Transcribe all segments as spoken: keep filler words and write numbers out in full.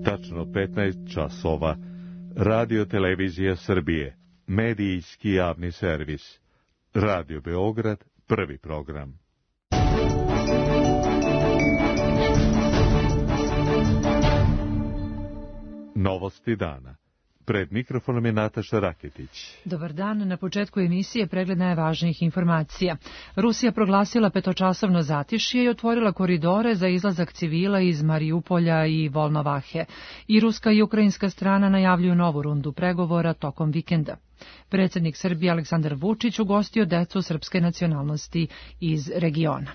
Tačno petnaest časova. Radio Televizija Srbije. Medijski javni servis. Radio Beograd, prvi program. Novosti dana. Pred mikrofonom je Nataša Raketić. Dobar dan, na početku emisije pregled najvažnijih informacija. Rusija proglasila petočasovno zatišje i otvorila koridore za izlazak civila iz Mariupolja i Volnovahe. I ruska i ukrajinska strana najavljuju novu rundu pregovora tokom vikenda. Predsjednik Srbije Aleksandar Vučić ugostio decu srpske nacionalnosti iz regiona.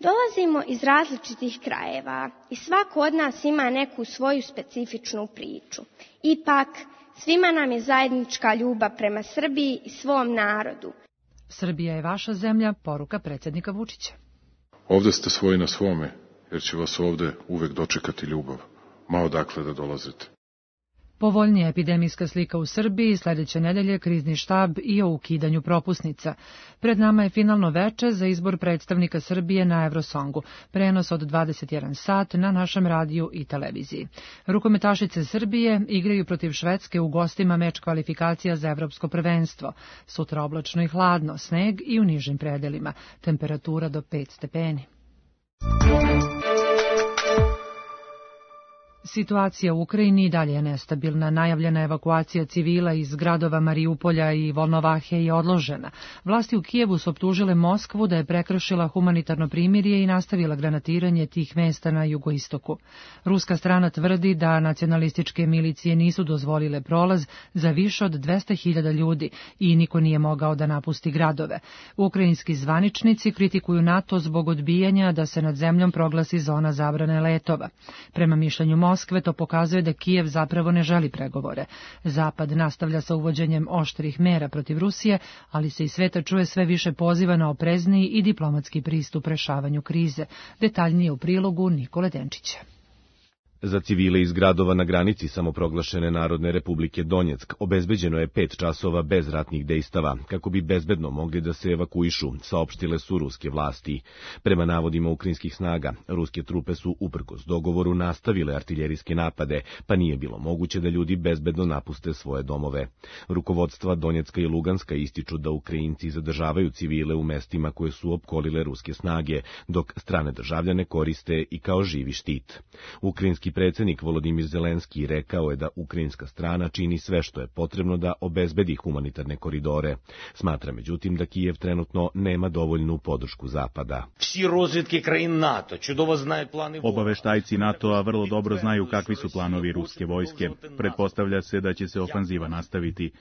Dolazimo iz različitih krajeva i svako od nas ima neku svoju specifičnu priču. Ipak, svima nam je zajednička ljubav prema Srbiji i svom narodu. Srbija je vaša zemlja, poruka predsjednika Vučića. Ovde ste svoji na svome, jer će vas ovde uvek dočekati ljubav, ma odakle da dolazite. Povoljnija epidemijska slika u Srbiji, sljedeće nedelje krizni štab i o ukidanju propusnica. Pred nama je finalno veče za izbor predstavnika Srbije na Eurosongu, prenos od dvadeset jedan sat na našem radiju i televiziji. Rukometašice Srbije igraju protiv Švedske u gostima meč kvalifikacija za evropsko prvenstvo. Sutra oblačno i hladno, sneg i u nižim predelima, temperatura do pet stepeni. Situacija u Ukrajini i dalje je nestabilna. Najavljena evakuacija civila iz gradova Mariupolja i Volnovahe je odložena. Vlasti u Kijevu su optužile Moskvu da je prekršila humanitarno primirje i nastavila granatiranje tih mesta na jugoistoku. Ruska strana tvrdi da nacionalističke milicije nisu dozvolile prolaz za više od dvesta hiljada ljudi i niko nije mogao da napusti gradove. Ukrajinski zvaničnici kritikuju NATO zbog odbijanja da se nad zemljom proglasi zona zabrane letova. Prema mišljenju Moskve, Moskve to pokazuje da Kijev zapravo ne želi pregovore. Zapad nastavlja sa uvođenjem oštrih mera protiv Rusije, ali se iz sveta čuje sve više poziva na oprezniji i diplomatski pristup rešavanju krize. Detaljnije u prilogu Nikole Denčića. Za civile iz gradova na granici samoproglašene Narodne republike Donjeck obezbeđeno je pet časova bez ratnih dejstava, kako bi bezbedno mogli da se evakuišu, saopštile su ruske vlasti. Prema navodima ukrajinskih snaga, ruske trupe su uprkos dogovoru nastavile artiljerijske napade, pa nije bilo moguće da ljudi bezbedno napuste svoje domove. Rukovodstva Donjecka i Luganska ističu da Ukrajinci zadržavaju civile u mestima koje su opkolile ruske snage, dok strane državljane koriste i kao živi štit. Ukrajinski predsjednik Volodimir Zelenski rekao je da ukrajinska strana čini sve što je potrebno da obezbedi humanitarne koridore. Smatra međutim da Kijev trenutno nema dovoljnu podršku Zapada. Obaveštajci NATO-a vrlo dobro znaju kakvi su planovi ruske vojske. Pretpostavlja se da će se ofanziva nastaviti.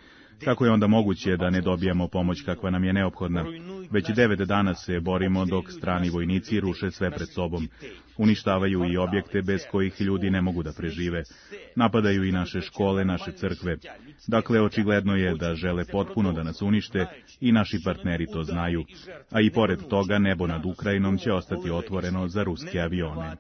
Kako je onda moguće da ne dobijamo pomoć kakva nam je neophodna? Već devet dana se borimo dok strani vojnici ruše sve pred sobom. Uništavaju i objekte bez kojih ljudi ne mogu da prežive. Napadaju i naše škole, naše crkve. Dakle, očigledno je da žele potpuno da nas unište i naši partneri to znaju. A i pored toga nebo nad Ukrajinom će ostati otvoreno za ruske avione.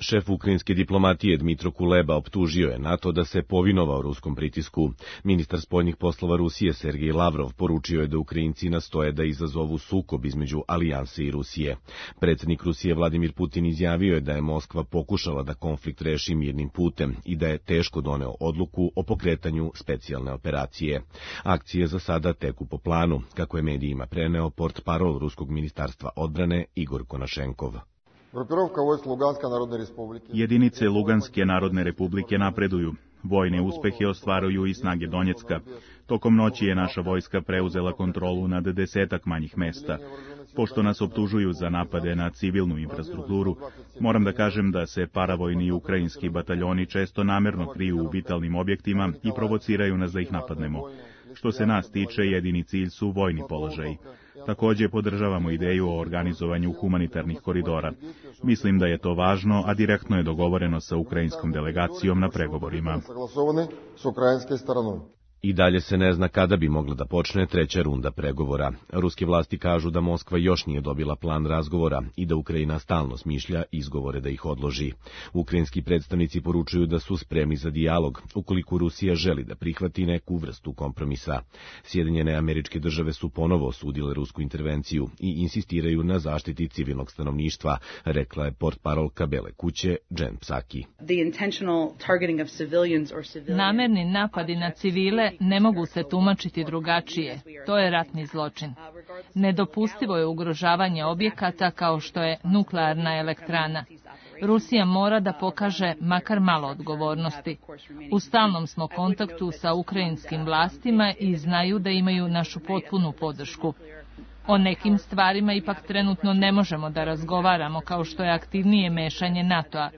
Šef ukrajinske diplomatije Dmitro Kuleba optužio je NATO da se povinovao ruskom pritisku. Ministar spoljnih poslova Rusije Sergej Lavrov poručio je da Ukrajinci nastoje da izazovu sukob između alijanse i Rusije. Predsjednik Rusije Vladimir Putin izjavio je da je Moskva pokušala da konflikt reši mirnim putem i da je teško doneo odluku o pokretanju specijalne operacije. Akcije za sada teku po planu, kako je medijima preneo portparol Ruskog ministarstva odbrane Igor Konašenkov. Jedinice Luganske narodne republike napreduju. Vojne uspehe ostvaruju i snage Donjecka. Tokom noći je naša vojska preuzela kontrolu nad desetak manjih mesta. Pošto nas optužuju za napade na civilnu infrastrukturu, moram da kažem da se paravojni i ukrajinski bataljoni često namerno kriju u vitalnim objektima i provociraju nas da ih napadnemo. Što se nas tiče, jedini cilj su vojni položaji. Također podržavamo ideju o organizovanju humanitarnih koridora. Mislim da je to važno, a direktno je dogovoreno sa ukrajinskom delegacijom na pregovorima. I dalje se ne zna kada bi mogla da počne treća runda pregovora. Ruske vlasti kažu da Moskva još nije dobila plan razgovora i da Ukrajina stalno smišlja izgovore da ih odloži. Ukrajinski predstavnici poručuju da su spremni za dijalog, ukoliko Rusija želi da prihvati neku vrstu kompromisa. Sjedinjene Američke Države su ponovo osudile rusku intervenciju i insistiraju na zaštiti civilnog stanovništva, rekla je portparolka Bele kuće Jen Psaki. Namerni napadi na civile ne mogu se tumačiti drugačije. To je ratni zločin. Nedopustivo je ugrožavanje objekata kao što je nuklearna elektrana. Rusija mora da pokaže makar malo odgovornosti. U stalnom smo kontaktu sa ukrajinskim vlastima i znaju da imaju našu potpunu podršku. O nekim stvarima ipak trenutno ne možemo da razgovaramo, kao što je aktivnije mešanje NATO-a.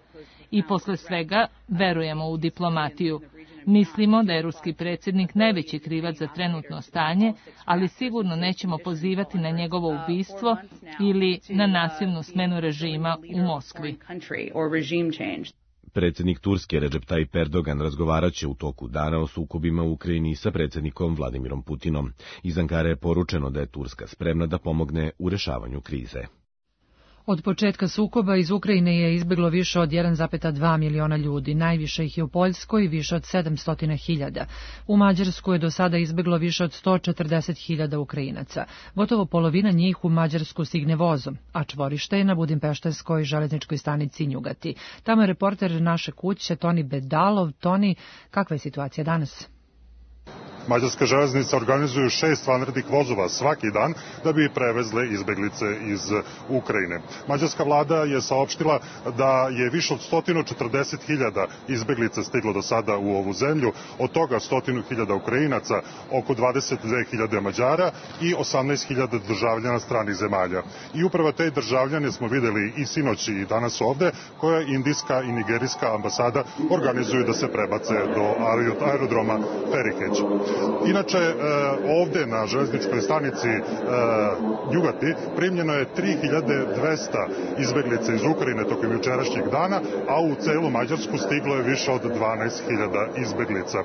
I posle svega verujemo u diplomatiju. Mislimo da je ruski predsjednik najveći krivac za trenutno stanje, ali sigurno nećemo pozivati na njegovo ubistvo ili na nasilnu smenu režima u Moskvi. Predsjednik Turske Recep Tayyip Erdogan razgovaraće u toku dana o sukobima u Ukrajini sa predsjednikom Vladimirom Putinom. Iz Ankare je poručeno da je Turska spremna da pomogne u rešavanju krize. Od početka sukoba iz Ukrajine je izbjeglo više od jedan zarez dva miliona ljudi, najviše ih je u Poljskoj, više od sedamsto hiljada. U Mađarsku je do sada izbjeglo više od sto četrdeset hiljada Ukrajinaca. Gotovo polovina njih u Mađarsku stigne vozom, a čvorište je na budimpeštanskoj železničkoj stanici Njugati. Tamo je reporter naše kuće Toni Bedalov. Toni, kakva je situacija danas? Mađarska železnica organizuju šest vanrednih vozova svaki dan da bi prevezle izbeglice iz Ukrajine. Mađarska vlada je saopštila da je više od sto četrdeset hiljada izbeglica stiglo do sada u ovu zemlju, od toga sto hiljada Ukrajinaca, oko dvadeset dve hiljade Mađara i osamnaest hiljada državljana stranih zemalja. I upravo te državljane smo videli i sinoć i danas ovde, koja indijska i nigerijska ambasada organizuju da se prebace do aerodroma Perikeć. Inače, ovde na železničkoj stanici Njugati primljeno je tri hiljade dvesta izbeglica iz Ukrajine tokom jučerašnjeg dana, a u celu Mađarsku stiglo je više od dvanaest hiljada izbeglica.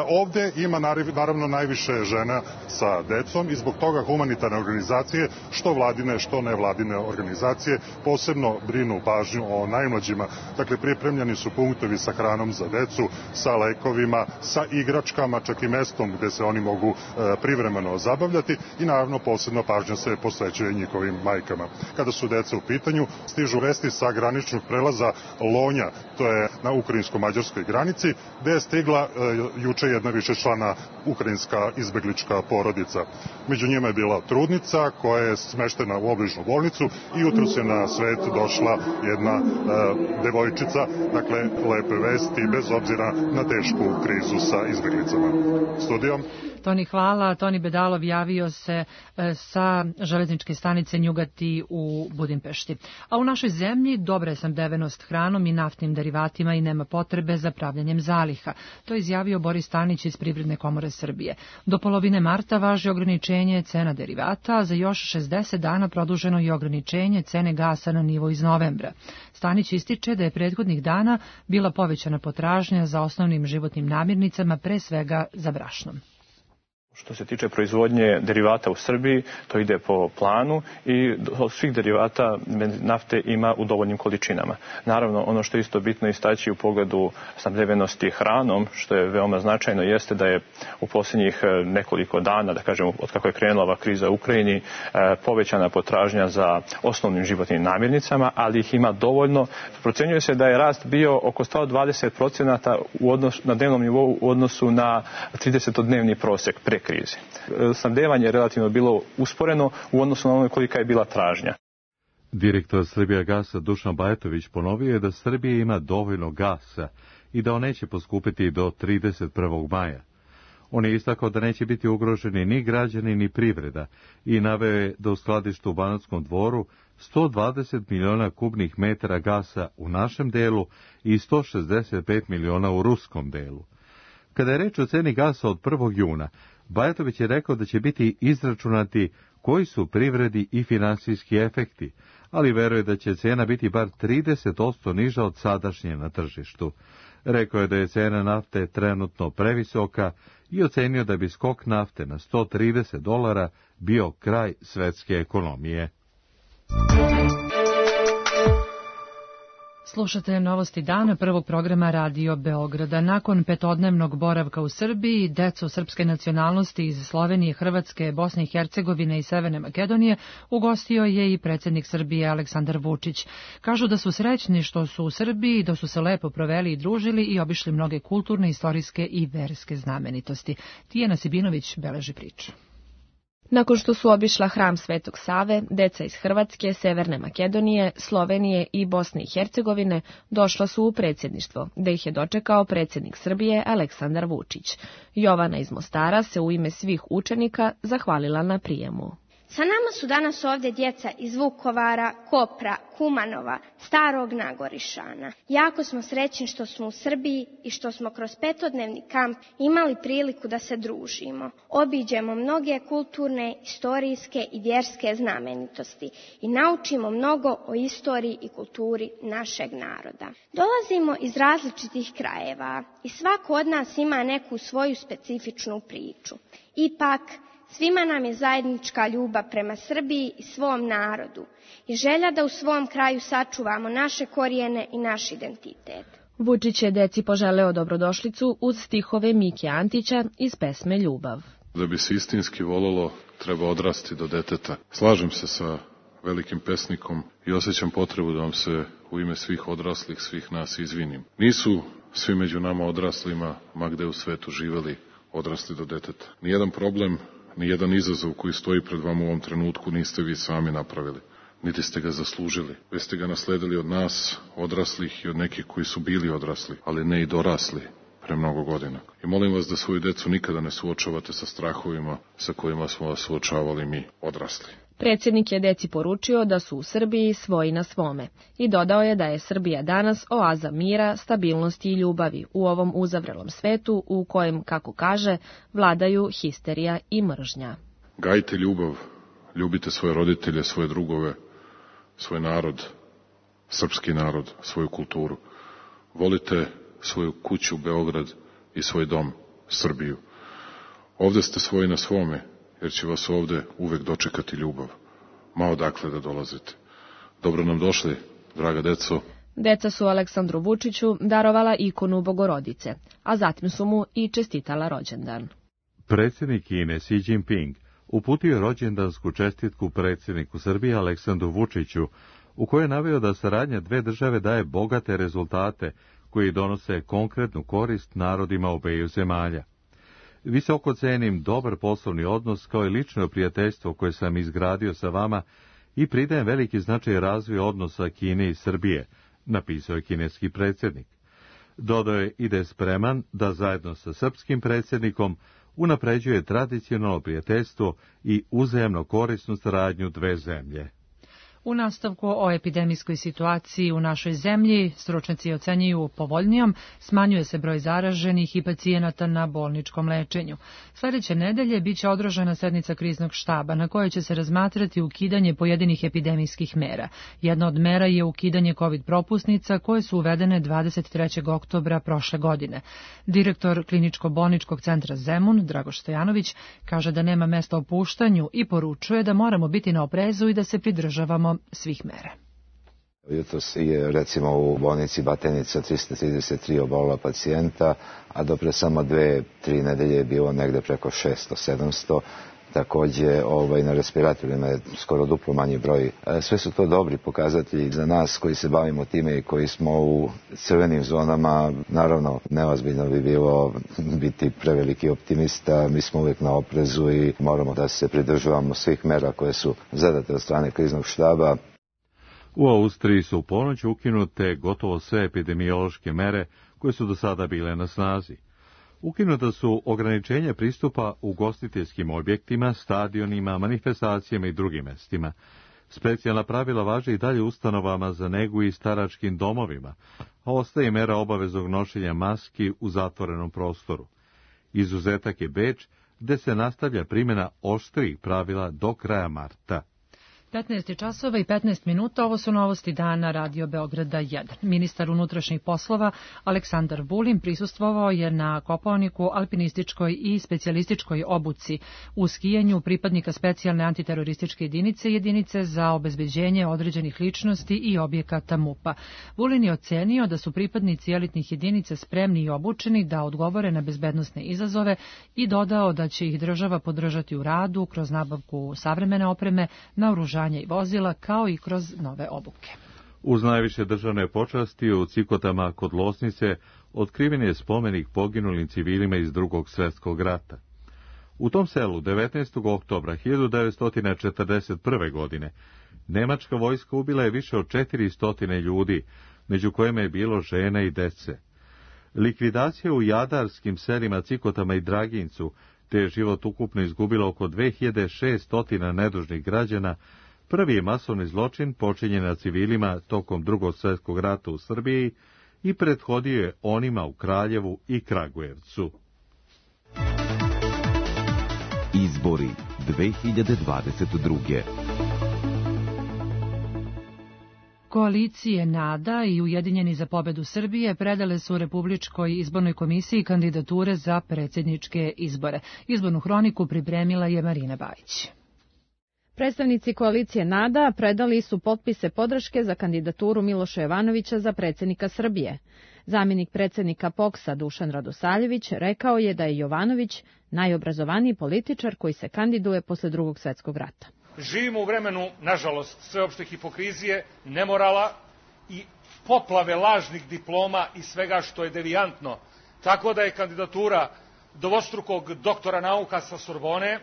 Ovde ima naravno najviše žena sa decom i zbog toga humanitarne organizacije, što vladine, što nevladine organizacije, posebno brinu pažnju o najmlađima. Dakle, pripremljeni su punktovi sa hranom za decu, sa lekovima, sa igračkama, čak i mestom gde se oni mogu e, privremeno zabavljati i naravno posebno pažnja se posvećuje njihovim majkama. Kada su deca u pitanju, stižu vesti sa graničnog prelaza Lonja, to je na ukrajinsko-mađarskoj granici, gde je stigla e, juče jedna višečlana ukrajinska izbeglička porodica. Među njima je bila trudnica koja je smeštena u obližnu bolnicu i jutros je na svet došla jedna e, devojčica, dakle lepe vesti bez obzira na tešku krizu sa izbeglicama. Studijom. Toni, hvala. Toni Bedalov javio se e, sa železničke stanice Njugati u Budimpešti. A u našoj zemlji dobra je snabdevenost hranom i naftnim derivatima i nema potrebe za pravljanjem zaliha. To je izjavio Boris Stanić iz Privredne komore Srbije. Do polovine marta važi ograničenje cena derivata, a za još šezdeset dana produženo je ograničenje cene gasa na nivo iz novembra. Stanić ističe da je prethodnih dana bila povećana potražnja za osnovnim životnim namirnicama, pre svega za brašnom. Što se tiče proizvodnje derivata u Srbiji, to ide po planu i od svih derivata nafte ima u dovoljnim količinama. Naravno, ono što je isto bitno istaći u pogledu snabdevenosti hranom, što je veoma značajno, jeste da je u posljednjih nekoliko dana, da kažem, od kako je krenula ova kriza u Ukrajini, povećana potražnja za osnovnim životnim namirnicama, ali ih ima dovoljno. Procenjuje se da je rast bio oko sto dvadeset procenata u odnos, na dnevnom nivou u odnosu na tridesetodnevni prosek pre krize. Snabdevanje je relativno bilo usporeno u odnosu na ono kolika je bila tražnja. Direktor Srbijagasa Dušan Bajatović ponovio je da Srbija ima dovoljno gasa i da on neće poskupiti do trideset prvog maja. On je istakao da neće biti ugroženi ni građani ni privreda i naveo je da u skladištu u Banatskom Dvoru sto dvadeset miliona kubnih metara gasa u našem delu i sto šezdeset pet miliona u ruskom delu. Kada je reč o ceni gasa od prvog juna, Bajatović je rekao da će biti izračunati koji su privredi i finansijski efekti, ali veruje da će cena biti bar trideset posto niža od sadašnje na tržištu. Rekao je da je cena nafte trenutno previsoka i ocenio da bi skok nafte na sto trideset dolara bio kraj svetske ekonomije. Slušate novosti dana prvog programa Radio Beograda. Nakon petodnevnog boravka u Srbiji, decu srpske nacionalnosti iz Slovenije, Hrvatske, Bosne i Hercegovine i Severne Makedonije ugostio je i predsjednik Srbije Aleksandar Vučić. Kažu da su srećni što su u Srbiji, da su se lepo proveli i družili i obišli mnoge kulturne, istorijske i verske znamenitosti. Tijana Sibinović beleži priču. Nakon što su obišla hram Svetog Save, deca iz Hrvatske, Severne Makedonije, Slovenije i Bosne i Hercegovine došla su u predsjedništvo, gde ih je dočekao predsjednik Srbije Aleksandar Vučić. Jovana iz Mostara se u ime svih učenika zahvalila na prijemu. Sa nama su danas ovdje djeca iz Vukovara, Kopra, Kumanova, Starog Nagorišana. Jako smo srećni što smo u Srbiji i što smo kroz petodnevni kamp imali priliku da se družimo. Obiđemo mnoge kulturne, istorijske i vjerske znamenitosti i naučimo mnogo o istoriji i kulturi našeg naroda. Dolazimo iz različitih krajeva i svako od nas ima neku svoju specifičnu priču. Ipak, svima nam je zajednička ljubav prema Srbiji i svom narodu i želja da u svom kraju sačuvamo naše korijene i naš identitet. Vučić je deci poželeo dobrodošlicu uz stihove Mike Antića iz pesme Ljubav. Da bi se istinski volelo, treba odrasti do deteta. Slažem se sa velikim pesnikom i osjećam potrebu da vam se u ime svih odraslih, svih nas izvinim. Nisu svi među nama odraslima, ma gde u svetu živeli, odrasli do deteta. Nijedan problem, nijedan izazov koji stoji pred vama u ovom trenutku niste vi sami napravili, niti ste ga zaslužili, već ste ga nasledili od nas, odraslih i od nekih koji su bili odrasli, ali ne i dorasli pre mnogo godina. I molim vas da svoju decu nikada ne suočavate sa strahovima sa kojima smo vas suočavali mi, odrasli. Predsjednik je deci poručio da su u Srbiji svoji na svome i dodao je da je Srbija danas oaza mira, stabilnosti i ljubavi u ovom uzavrelom svetu u kojem, kako kaže, vladaju histerija i mržnja. Gajte ljubav, ljubite svoje roditelje, svoje drugove, svoj narod, srpski narod, svoju kulturu. Volite svoju kuću, Beograd i svoj dom, Srbiju. Ovde ste svoji na svome, jer će vas ovde uvek dočekati ljubav, ma odakle da dolazite. Dobro nam došli, draga deco. Deca su Aleksandru Vučiću darovala ikonu Bogorodice, a zatim su mu i čestitala rođendan. Predsjednik Kine Xi Jinping uputio je rođendansku čestitku predsjedniku Srbije Aleksandru Vučiću, u kojoj je naveo da saradnja dve države daje bogate rezultate koji donose konkretnu korist narodima obeju zemalja. Visoko cenim dobar poslovni odnos kao i lično prijateljstvo koje sam izgradio sa vama i pridajem veliki značaj razvoju odnosa Kine i Srbije, napisao je kineski predsjednik. Dodao je i da je spreman da zajedno sa srpskim predsjednikom unapređuje tradicionalno prijateljstvo i uzajamno korisnu saradnju dve zemlje. U nastavku o epidemijskoj situaciji u našoj zemlji, stručnjaci ocenjuju povoljnijom, smanjuje se broj zaraženih i pacijenata na bolničkom lečenju. Sljedeće nedelje biće održana sednica kriznog štaba na kojoj će se razmatrati ukidanje pojedinih epidemijskih mera. Jedna od mera je ukidanje COVID propusnica koje su uvedene dvadeset trećeg oktobra prošle godine. Direktor kliničko-bolničkog centra Zemun, Dragoš Stojanović, kaže da nema mesta opuštanju i poručuje da moramo biti na oprezu i da se pridržavamo svih mera. Jutros je recimo u bolnici Batenica trista trideset tri obolila pacijenta, a do pre samo dve, tri nedelje je bilo negde preko šesto sedamsto. Takođe ovaj, na respiratorima je skoro duplo manji broj. Sve su to dobri pokazatelji za nas koji se bavimo time i koji smo u crvenim zonama. Naravno, neozbiljno bi bilo biti preveliki optimista. Mi smo uvijek na oprezu i moramo da se pridržavamo svih mera koje su zadate od strane kriznog štaba. U Austriji su u ponoć ukinute gotovo sve epidemiološke mere koje su do sada bile na snazi. Ukinuta su ograničenja pristupa ugostiteljskim objektima, stadionima, manifestacijama i drugim mestima. Specijalna pravila važe i dalje ustanovama za negu i staračkim domovima, a ostaje mera obaveznog nošenja maski u zatvorenom prostoru. Izuzetak je Beč, gde se nastavlja primjena oštrih pravila do kraja marta. petnaest časova i petnaest minuta, ovo su novosti dana Radio Beograda jedan. Ministar unutrašnjih poslova Aleksandar Vulin prisustvovao je na Kopaoniku alpinističkoj i specijalističkoj obuci u skijanju pripadnika specijalne antiterorističke jedinice, jedinice za obezbeđenje određenih ličnosti i objekata MUP-a. Vulin je ocenio da su pripadnici elitnih jedinica spremni i obučeni da odgovore na bezbednosne izazove i dodao da će ih država podržati u radu kroz nabavku savremene opreme, naoružanja i vozila, kao i kroz nove obuke. Uz najviše državne počasti u Cikotama kod Losnice otkriven je spomenik poginulim civilima iz Drugog svjetskog rata. U tom selu devetnaestog oktobra hiljadu devetsto četrdeset prve. godine nemačka vojska ubila je više od četiristo ljudi, među kojima je bilo žena i dece. Likvidacija u jadarskim selima Cikotama i Dragincu, te je život ukupno izgubilo oko dve hiljade šesto nedužnih građana, prvi je masovni zločin počinjen na civilima tokom Drugog svjetskog rata u Srbiji i prethodio je onima u Kraljevu i Kragujevcu. Izbori dve hiljade dvadeset druge. Koalicije NADA i Ujedinjeni za pobedu Srbije predale su Republičkoj izbornoj komisiji kandidature za predsjedničke izbore. Izbornu hroniku pripremila je Marina Bajić. Predstavnici koalicije NADA predali su potpise podrške za kandidaturu Miloša Jovanovića za predsjednika Srbije. Zamjenik predsjednika P O K S-a Dušan Radosavljević rekao je da je Jovanović najobrazovaniji političar koji se kandiduje posle Drugog svjetskog rata. Živimo u vremenu, nažalost, sveopšte hipokrizije, nemorala i poplave lažnih diploma i svega što je devijantno. Tako da je kandidatura dvostrukog doktora nauka sa Sorbone,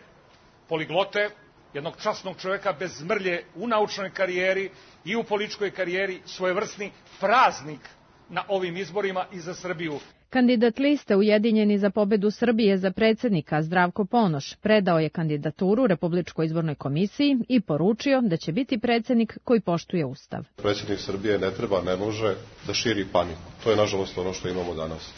poliglote, jednog časnog čovjeka bez mrlje u naučnoj karijeri i u političkoj karijeri, svojevrsni praznik na ovim izborima i za Srbiju. Kandidat liste Ujedinjeni za pobedu Srbije za predsjednika Zdravko Ponoš predao je kandidaturu Republičkoj izbornoj komisiji i poručio da će biti predsjednik koji poštuje Ustav. Predsjednik Srbije ne treba, ne može da širi paniku. To je nažalost ono što imamo danas.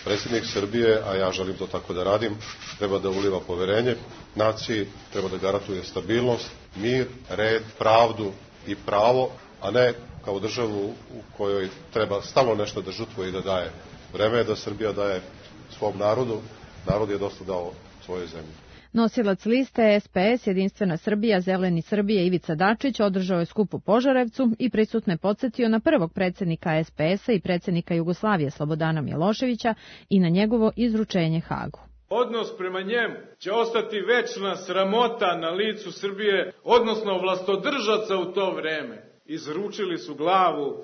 Predsjednik Srbije, a ja želim to tako da radim, treba da uliva poverenje naciji, treba da garantuje stabilnost, mir, red, pravdu i pravo, a ne kao državu u kojoj treba stalno nešto da žrtvuje i da daje. Vreme je da Srbija daje svom narodu, narod je dosta dao svojoj zemlji. Nosilac liste S P S Jedinstvena Srbija, Zeleni Srbije Ivica Dačić održao je skup u Požarevcu i prisutne podsjetio na prvog predsjednika S P S-a i predsjednika Jugoslavije Slobodana Miloševića i na njegovo izručenje Hagu. Odnos prema njemu će ostati večna sramota na licu Srbije, odnosno vlastodržaca u to vreme. Izručili su glavu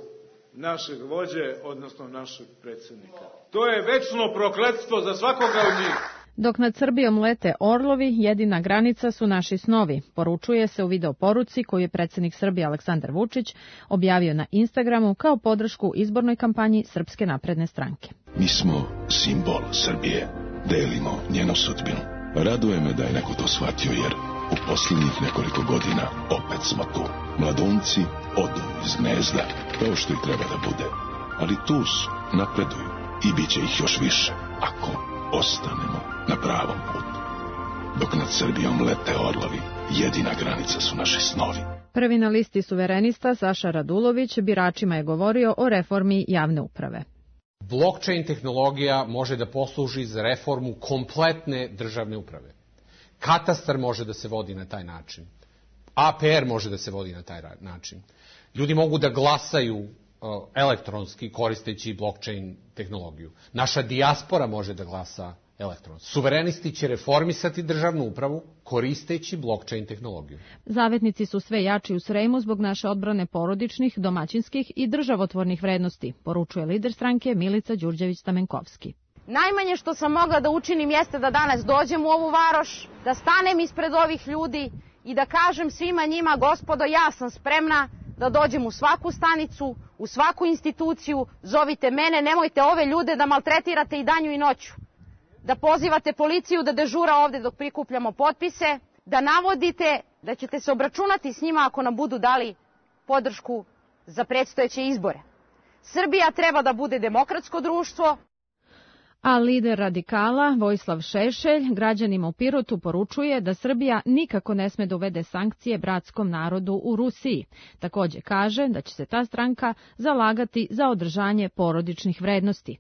našeg vođe, odnosno našeg predsjednika. To je večno prokletstvo za svakoga od njih. Dok nad Srbijom lete orlovi, jedina granica su naši snovi, poručuje se u video poruci koju je predsjednik Srbije Aleksandar Vučić objavio na Instagramu kao podršku izbornoj kampanji Srpske napredne stranke. Mi smo simbol Srbije, delimo njenu sudbinu. Raduje me da je neko to shvatio, jer u posljednjih nekoliko godina opet smo tu. Mladunci odu iz gnezda, kao što i treba da bude. Ali tu su, napreduju i bit će ih još više, ako ostanemo na pravom putu. Dok nad Srbijom lete orlovi, jedina granica su naši snovi. Prvi na listi suverenista Saša Radulović biračima je govorio o reformi javne uprave. Blockchain tehnologija može da posluži za reformu kompletne državne uprave. Katastar može da se vodi na taj način. A P R može da se vodi na taj način. Ljudi mogu da glasaju uh, elektronski koristeći blockchain tehnologiju. Naša dijaspora može da glasa elektronski. Suverenisti će reformisati državnu upravu koristeći blockchain tehnologiju. Zavetnici su sve jači u Sremu zbog naše odbrane porodičnih, domaćinskih i državotvornih vrednosti, poručuje lider stranke Milica Đurđević-Stamenkovski. Najmanje što sam mogla da učinim jeste da danas dođem u ovu varoš, da stanem ispred ovih ljudi i da kažem svima njima, gospodo, ja sam spremna da dođem u svaku stanicu, u svaku instituciju, zovite mene, nemojte ove ljude da maltretirate i danju i noću. Da pozivate policiju da dežura ovde dok prikupljamo potpise, da navodite da ćete se obračunati s njima ako nam budu dali podršku za predstojeće izbore. Srbija treba da bude demokratsko društvo. A lider radikala Vojislav Šešelj građanima u Pirotu poručuje da Srbija nikako ne sme da uvede sankcije bratskom narodu u Rusiji. Takođe kaže da će se ta stranka zalagati za održanje porodičnih vrednosti.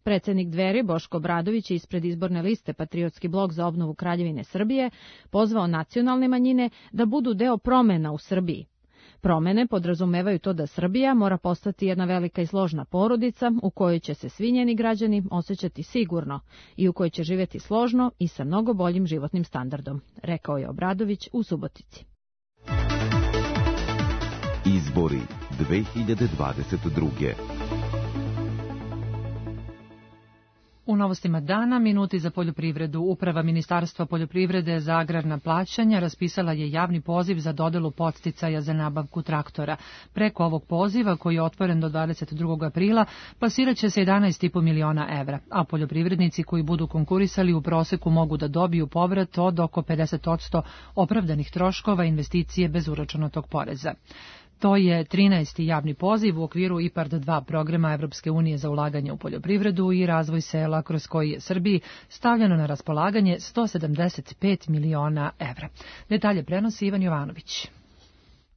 Predsednik Dveri Boško Obradović je ispred izborne liste Patriotski blok za obnovu Kraljevine Srbije pozvao nacionalne manjine da budu deo promena u Srbiji. Promene podrazumevaju to da Srbija mora postati jedna velika i složna porodica u kojoj će se svi njeni građani osjećati sigurno i u kojoj će živjeti složno i sa mnogo boljim životnim standardom, rekao je Obradović u Subotici. Izbori dve hiljade dvadeset druge. U novostima dana, minuti za poljoprivredu. Uprava Ministarstva poljoprivrede za agrarna plaćanja raspisala je javni poziv za dodelu podsticaja za nabavku traktora. Preko ovog poziva, koji je otvoren do dvadeset drugog aprila, plasirat će se jedanaest i po miliona evra, a poljoprivrednici koji budu konkurisali u proseku mogu da dobiju povrat od oko pedeset posto opravdanih troškova investicije bez uračunatog poreza. To je trinaesti javni poziv u okviru I P A R D dva programa Evropske unije za ulaganje u poljoprivredu i razvoj sela, kroz koji je Srbiji stavljeno na raspolaganje sto sedamdeset pet miliona evra. Detalje prenosi Ivan Jovanović.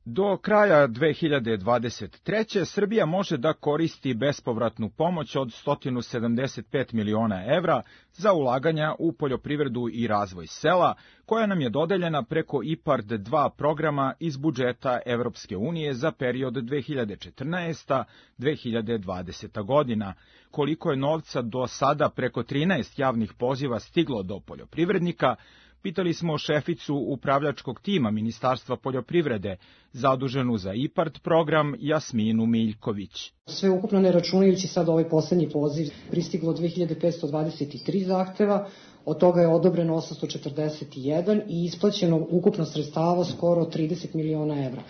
Do kraja dve hiljade dvadeset treće. Srbija može da koristi bespovratnu pomoć od sto sedamdeset pet miliona evra za ulaganja u poljoprivredu i razvoj sela, koja nam je dodeljena preko I P A R D dva programa iz budžeta Evropske unije za period dve hiljade četrnaeste do dve hiljade dvadesete. godina. Koliko je novca do sada preko trinaest javnih poziva stiglo do poljoprivrednika, pitali smo šeficu upravljačkog tima Ministarstva poljoprivrede, zaduženu za I P A R D program, Jasminu Miljković. Sve ukupno ne računajući sad ovaj poslednji poziv, pristiglo dve hiljade petsto dvadeset tri zahteva, od toga je odobreno osamsto četrdeset jedan i isplaćeno ukupno sredstava skoro trideset miliona evra.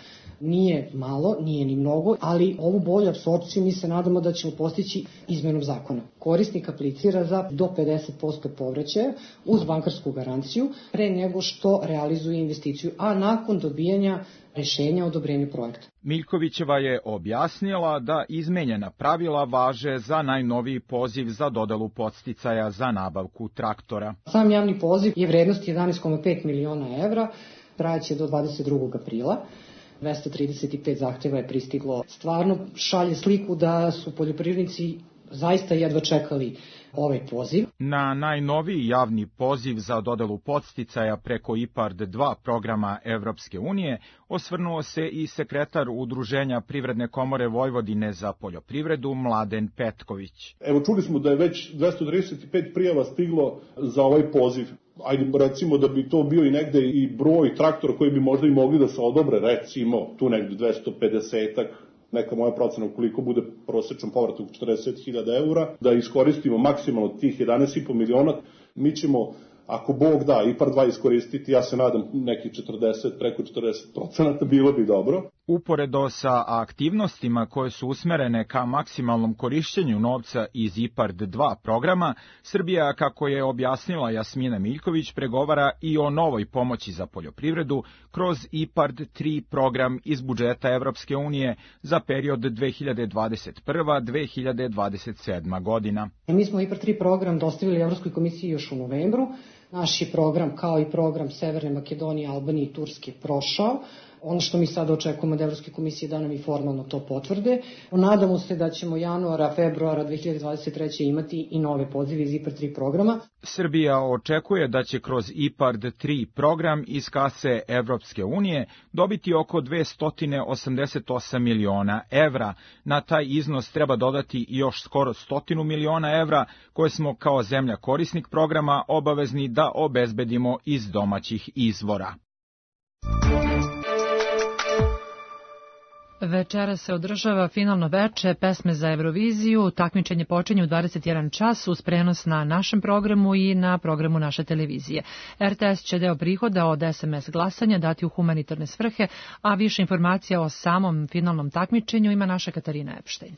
Nije malo, nije ni mnogo, ali ovu bolju apsorpciju mi se nadamo da ćemo postići izmenom zakona. Korisnik aplicira za do pedeset posto povraćaja uz bankarsku garanciju pre nego što realizuje investiciju, a nakon dobijanja rešenja o odobrenju projekta. Miljkovićeva je objasnila da izmenjena pravila važe za najnoviji poziv za dodelu podsticaja za nabavku traktora. Sam javni poziv je vrednost jedanaest zarez pet miliona evra, trajaće do dvadeset drugog aprila. dvesta trideset pet zahteva je pristiglo. Stvarno šalje sliku da su poljoprivrednici zaista jedva čekali ovaj poziv. Na najnoviji javni poziv za dodelu podsticaja preko I P A R D dva programa Evropske unije osvrnuo se i sekretar Udruženja Privredne komore Vojvodine za poljoprivredu Mladen Petković. Evo, čuli smo da je već dvesta trideset pet prijava stiglo za ovaj poziv. Ajde, recimo da bi to bio i negde i broj traktora koji bi možda i mogli da se odobre, recimo tu negde dvesta pedesetak, neka moja procena ukoliko bude prosečan povratak četrdeset hiljada eura, da iskoristimo maksimalno tih jedanaest i po miliona. Mi ćemo, ako Bog da, I P A R dva iskoristiti, ja se nadam neki četrdeset, preko četrdeset procenata, bilo bi dobro. Uporedo sa aktivnostima koje su usmerene ka maksimalnom korišćenju novca iz I P A R D dva programa, Srbija, kako je objasnila Jasmina Miljković, pregovara i o novoj pomoći za poljoprivredu kroz I P A R D tri program iz budžeta Evropske unije za period dve hiljade dvadeset prva do dve hiljade dvadeset sedma. godina. Mi smo I P A R D tri program dostavili Evropskoj komisiji još u novembru. Naš je program, kao i program Severne Makedonije, Albanije i Turske, prošao. Ono što mi sad očekujemo od Evropske komisije da nam i formalno to potvrde. Nadamo se da ćemo januara, februara dve hiljade dvadeset treće. imati i nove pozive iz I P A R D tri programa. Srbija očekuje da će kroz I P A R D tri program iz kase Evropske unije dobiti oko dvesta osamdeset osam miliona evra. Na taj iznos treba dodati još skoro stotinu miliona evra koje smo kao zemlja korisnik programa obavezni da obezbedimo iz domaćih izvora. Večera se održava finalno veče pesme za Euroviziju. Takmičenje počinje u dvadeset jedan čas uz prenos na našem programu i na programu naše televizije. R T S će deo prihoda od S M S glasanja dati u humanitarne svrhe, a više informacija o samom finalnom takmičenju ima naša Katarina Epštajn.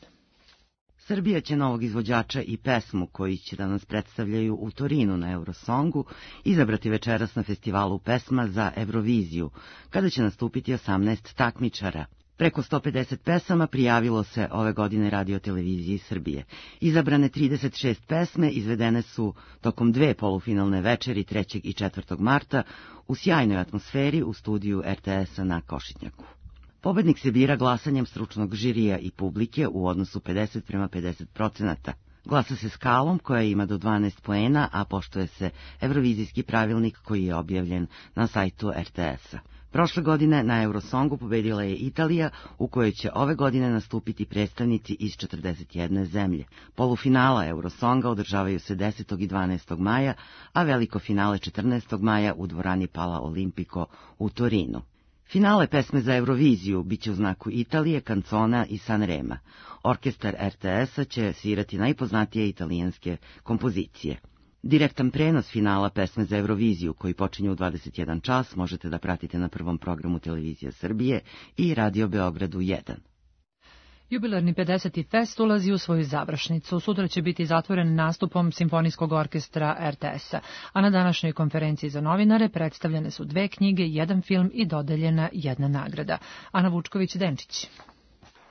Srbija će novog izvođača i pesmu koji će da nas predstavljaju u Torinu na Eurosongu izabrati večeras na festivalu pesma za Euroviziju, kada će nastupiti osamnaest takmičara. Preko sto pedeset pesama prijavilo se ove godine Radio televiziji Srbije. Izabrane trideset šest pesme izvedene su tokom dve polufinalne večeri trećeg i četvrtog marta u sjajnoj atmosferi u studiju er te esa na Košitnjaku. Pobednik se bira glasanjem stručnog žirija i publike u odnosu pedeset prema pedeset procenata. Glasa se skalom koja ima do dvanaest poena, a poštuje se Eurovizijski pravilnik koji je objavljen na sajtu er te esa. Prošle godine na Eurosongu pobedila je Italija, u kojoj će ove godine nastupiti predstavnici iz četrdeset jedne zemlje. Polufinala Eurosonga održavaju se desetog i dvanaestog maja, a veliko finale četrnaestog maja u dvorani Pala Olimpico u Torinu. Finale pesme za Euroviziju biće u znaku Italije, Kancona i Sanrema. Orkestar er te esa će svirati najpoznatije italijanske kompozicije. Direktan prenos finala pesme za Euroviziju, koji počinje u dvadeset jedan čas, možete da pratite na prvom programu Televizije Srbije i Radio Beogradu jedan. Jubilarni pedeseti fest ulazi u svoju završnicu. Sutra će biti zatvoren nastupom Simfonijskog orkestra er te esa, a na današnjoj konferenciji za novinare predstavljene su dve knjige, jedan film i dodeljena jedna nagrada. Ana Vučković-Denčić.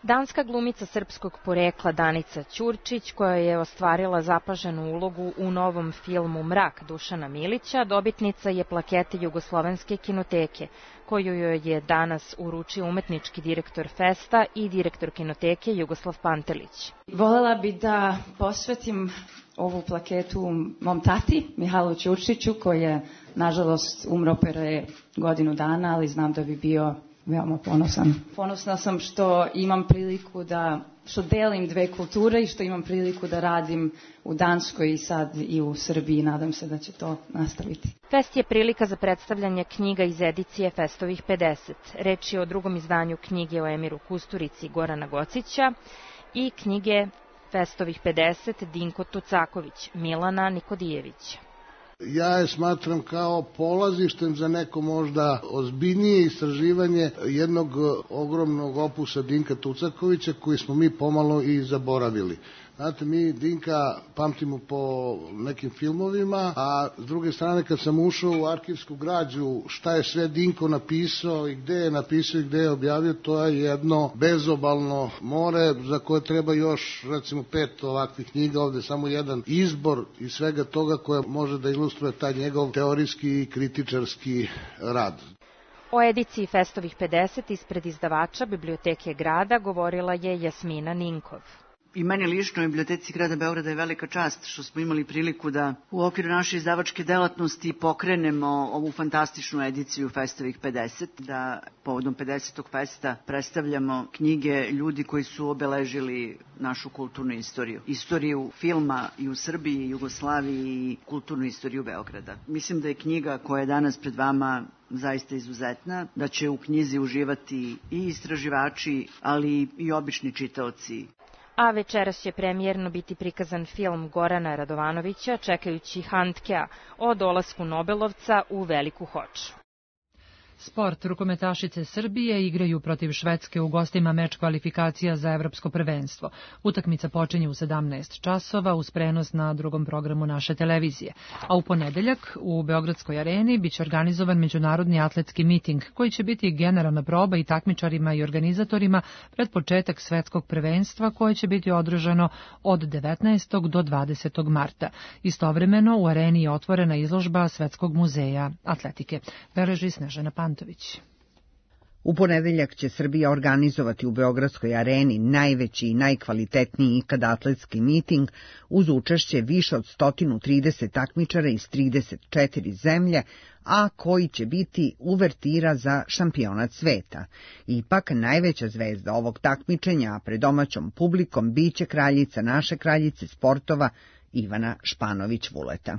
Danska glumica srpskog porekla Danica Ćurčić, koja je ostvarila zapaženu ulogu u novom filmu Mrak Dušana Milića, dobitnica je plakete Jugoslovenske kinoteke, koju joj je danas uručio umetnički direktor festa i direktor kinoteke Jugoslav Pantelić. Volela bi da posvetim ovu plaketu mom tati, Mihajlu Ćurčiću, koji je, nažalost, umro pre godinu dana, ali znam da bi bio veoma ponosan. Ponosna sam što imam priliku da, što delim dve kulture i što imam priliku da radim u Danskoj i sad i u Srbiji. Nadam se da će to nastaviti. Fest je prilika za predstavljanje knjiga iz edicije Festovih pedeset. Reč je o drugom izdanju knjige o Emiru Kusturici Gorana Gocića i knjige Festovih pedeset Dinko Tucaković, Milana Nikodijevića. Ja je smatram kao polazištem za neko možda ozbiljnije istraživanje jednog ogromnog opusa Dinka Tucakovića koji smo mi pomalo i zaboravili. Znate, mi Dinka pamtimo po nekim filmovima, a s druge strane kad sam ušao u arhivsku građu, šta je sve Dinko napisao i gde je napisao i gde je objavio, to je jedno bezobalno more za koje treba još, recimo, pet ovakvih knjiga, ovde samo jedan izbor iz svega toga koja može da ilustruje taj njegov teorijski i kritičarski rad. O ediciji Festovih pedeset ispred izdavača Biblioteke grada govorila je Jasmina Ninkov. I meni lično u Biblioteci grada Beograda je velika čast što smo imali priliku da u okviru naše izdavačke delatnosti pokrenemo ovu fantastičnu ediciju Festovih pedeset, da povodom pedesetog festa predstavljamo knjige ljudi koji su obeležili našu kulturnu istoriju. Istoriju filma i u Srbiji, Jugoslaviji i kulturnu istoriju Beograda. Mislim da je knjiga koja je danas pred vama zaista izuzetna, da će u knjizi uživati i istraživači, ali i obični čitaoci. A večeras će premijerno biti prikazan film Gorana Radovanovića Čekajući Handkea o dolasku Nobelovca u Veliku Hoču. Sport. Rukometašice Srbije igraju protiv Švedske u gostima meč kvalifikacija za evropsko prvenstvo. Utakmica počinje u sedamnaest časova uz prenos na drugom programu naše televizije. A u ponedeljak u Beogradskoj areni biće organizovan međunarodni atletski miting koji će biti generalna proba i takmičarima i organizatorima pred početak svetskog prvenstva koje će biti održano od devetnaestog do dvadesetog marta. Istovremeno u areni je otvorena izložba Svetskog muzeja atletike. Beleži Snežana Pantović. U ponedeljak će Srbija organizovati u Beogradskoj areni najveći i najkvalitetniji ikad atletski miting uz učešće više od sto trideset takmičara iz trideset četiri zemlje, a koji će biti uvertira za šampionat sveta. Ipak najveća zvezda ovog takmičenja pred domaćom publikom biće kraljica naše kraljice sportova Ivana Španović-Vuleta.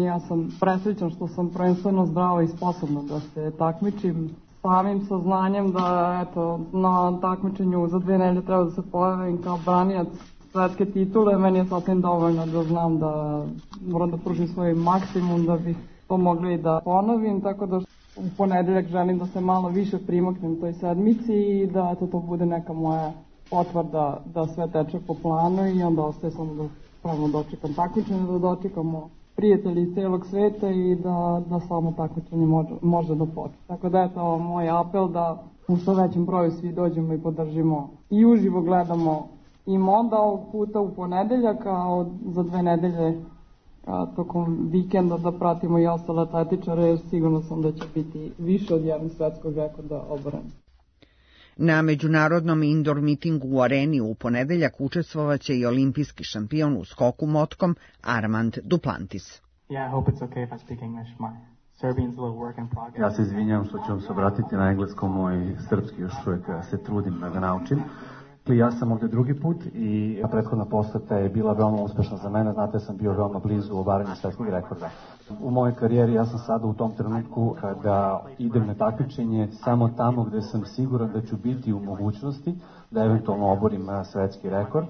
Ja sam presrećan što sam prvenstveno zdrava i sposobna da se takmičim. Samim saznanjem da eto, na takmičenju za dve nedelje treba da se pojavim kao branilac svetske titule, meni je sasvim dovoljno da znam da moram da pružim svoj maksimum da bih to mogli da ponovim, tako da u ponedeljak želim da se malo više primaknem toj sedmici i da eto, to bude neka moja potvrda da sve teče po planu i onda ostaje samo da pravno dočekam takmičenje, da dočekamo prijatelji iz celog sveta i da, da samo takmičenje može, može da počne. Tako da je to moj apel da u što većem broju svi dođemo i podržimo i uživo gledamo i onda ovog puta u ponedeljak, a za dve nedelje a, tokom vikenda da pratimo i ostale atletičare, jer sigurno sam da će biti više od jednog svetskog rekorda oboreni. Na međunarodnom indoor mitingu u Areni u ponedeljak učestvovaće i olimpijski šampion u skoku motkom Armand Duplantis. Yeah, I hope it's okay if I speak English. My Serbian's a little work in progress. Ja se izvinjam što ću vam se obratiti na engleskom, moj srpski još uvijek se trudim da ga naučim. Ja sam ovdje drugi put i prethodna poseta je bila veoma uspešna za mene, znate, sam bio veoma blizu obaranju svetskog rekorda. U mojoj karijeri ja sam sada u tom trenutku kada idem na takmičenje samo tamo gde sam siguran da ću biti u mogućnosti da eventualno oborim svetski rekord.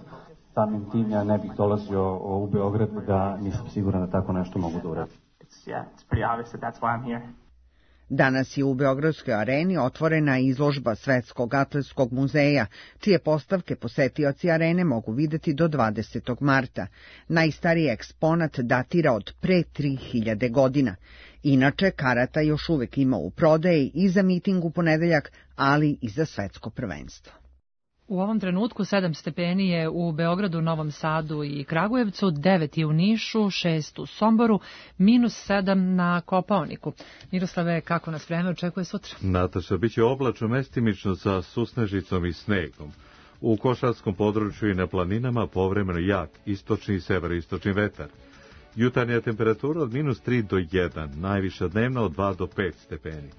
Samim tim ja ne bih dolazio u Beograd da nisam siguran da tako nešto mogu da uradim. Yeah, it's pretty obvious that that's why I'm here. Danas je u Beogradskoj areni otvorena izložba Svetskog atletskog muzeja, čije postavke posetioci arene mogu videti do dvadesetog marta. Najstariji eksponat datira od pre tri hiljade godina. Inače, karata još uvek ima u prodaji i za miting u ponedeljak, ali i za svetsko prvenstvo. U ovom trenutku sedam stepeni je u Beogradu, Novom Sadu i Kragujevcu, devet je u Nišu, šest u Somboru, minus sedam na Kopaoniku. Miroslave, kako nas vreme očekuje sutra? Nataša, bit će oblačno mestimično sa susnežicom i snegom. U košarskom području i na planinama povremeno jak istočni i severoistočni vetar. Jutarnja temperatura od minus tri do jedan, najviša dnevna od dva do pet stepeni.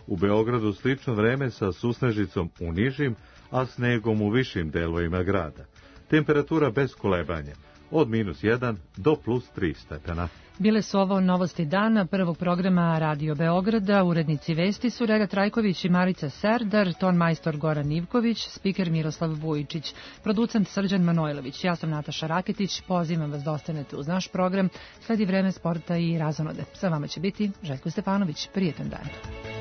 U Beogradu slično vreme sa susnežicom u nižim, a snegom u višim delovima grada. Temperatura bez kolebanja, od minus jedan do plus tri stepena. Bile su ovo novosti dana prvog programa Radio Beograda. Urednici vesti su Rega Trajković i Marica Serdar, ton majstor Goran Ivković, spiker Miroslav Vujičić, producent Srđan Manojlović. Ja sam Nataša Raketić, pozivam vas da ostanete uz naš program. Sledi vreme sporta i razonode. Sa vama će biti Željko Stefanović. Prijetan dan.